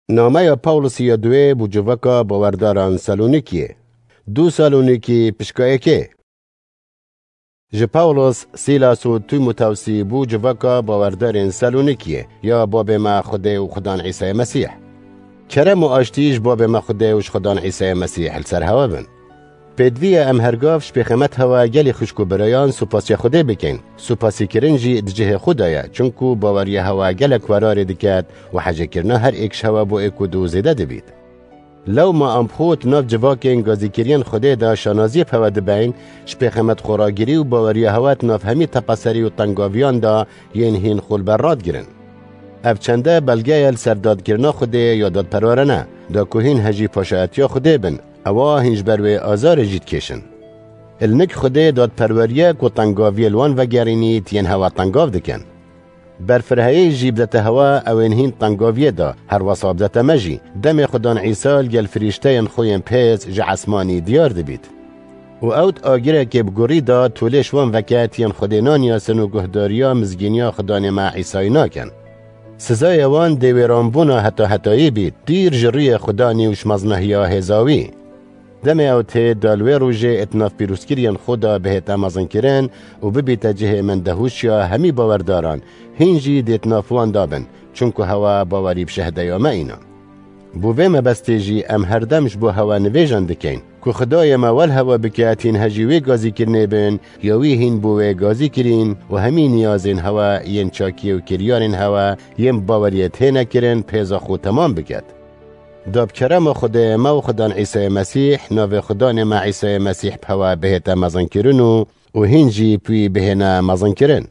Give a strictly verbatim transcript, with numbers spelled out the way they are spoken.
Nameya Pawlosî ya duwê bû civaka bawerdaran Salonîkiyê. Du Salonîkî pişka êkê. Ji Pawlos, Sîlas û Tîmotewsî bû civaka bawerdarên Salonîkiyê ya babê me Xwedê û Xudan Îsayê Mesîh. Kerem û aştî ji babê me Xwedê û ji Xudan Îsayê Mesîh li ser hewe bin. Pêdivî ye em hergav ji pêxemet hewa gelî xwişk û birayan supasiya Xwedê bikin. Supasîkirin jî di cihê xwe de ye, çunku baweriya hewa gelek werarê diket û hecêkirina her êk ji hewa bo êk û du zêde dibît. Lewma em xwe di nav civakên gazîkiriyên Xwedê de şanaziyê bi hewa dibeyn, ji pêxemet xweragirî û baweriya hewa di nav hemî tepeserî û tengaviyan de yên hîn xwe li ber radigirin. Ev çende belge ye li ser dadkirina Xwedê ya dadperwerane, da ku hîn hejî paşayetiya Xwedê bin, ewa hîn ji ber wê azarê jî dikêşin. Li nik Xwedê dadperweriyek û tengaviyê li wan vegerînît yên hewa tengav dikin. Berfireheyê jî bidete hewa ew ên hîn tengaviyê de, her wesa bidete me jî, demê Xudan Îsa li gel firîşteyên xwe yên pêz ji esmanî diyar dibît. Û ew di agirekê bi gurî de tolê ji wan veke tiyên Xwedê naniyasin û guhdariya mizgîniya Xudanê me Îsayî nakin. Sizaya wan dê wêranbûna heta hetayî bît, dîr ji rûyê Xudanî û ji meznahiya hêza wî. Demê ew tê da li wê rojê êt nav pîrozkiriyên xwe de bihête mezinkirin û bibîte cihê min dehûşiya hemî bawerdaran, hîn jî dêt nav wan da bin, çunku hewa bawerî bi şehdeya me îna. Bo vê mebestê jî em herdem ji bo hewa nivêjan dikeyn, ku Xwedayê me wel hewa bike tîn hejî wê gazîkirinê bin, ya wî hîn bo wê gazî kirîn û hemî niyazên hewa yên çakiyê û kiryarên hewa yên bi baweriyê têne kirin pêza xwe temam biket. Da bi kerema Xwedê me û Xudan Îsayê Mesîh, navê Xudanê me Îsayê Mesîh bi hewa bihête mezinkirin û, û hîn jî bi wî bihêne mezinkirin.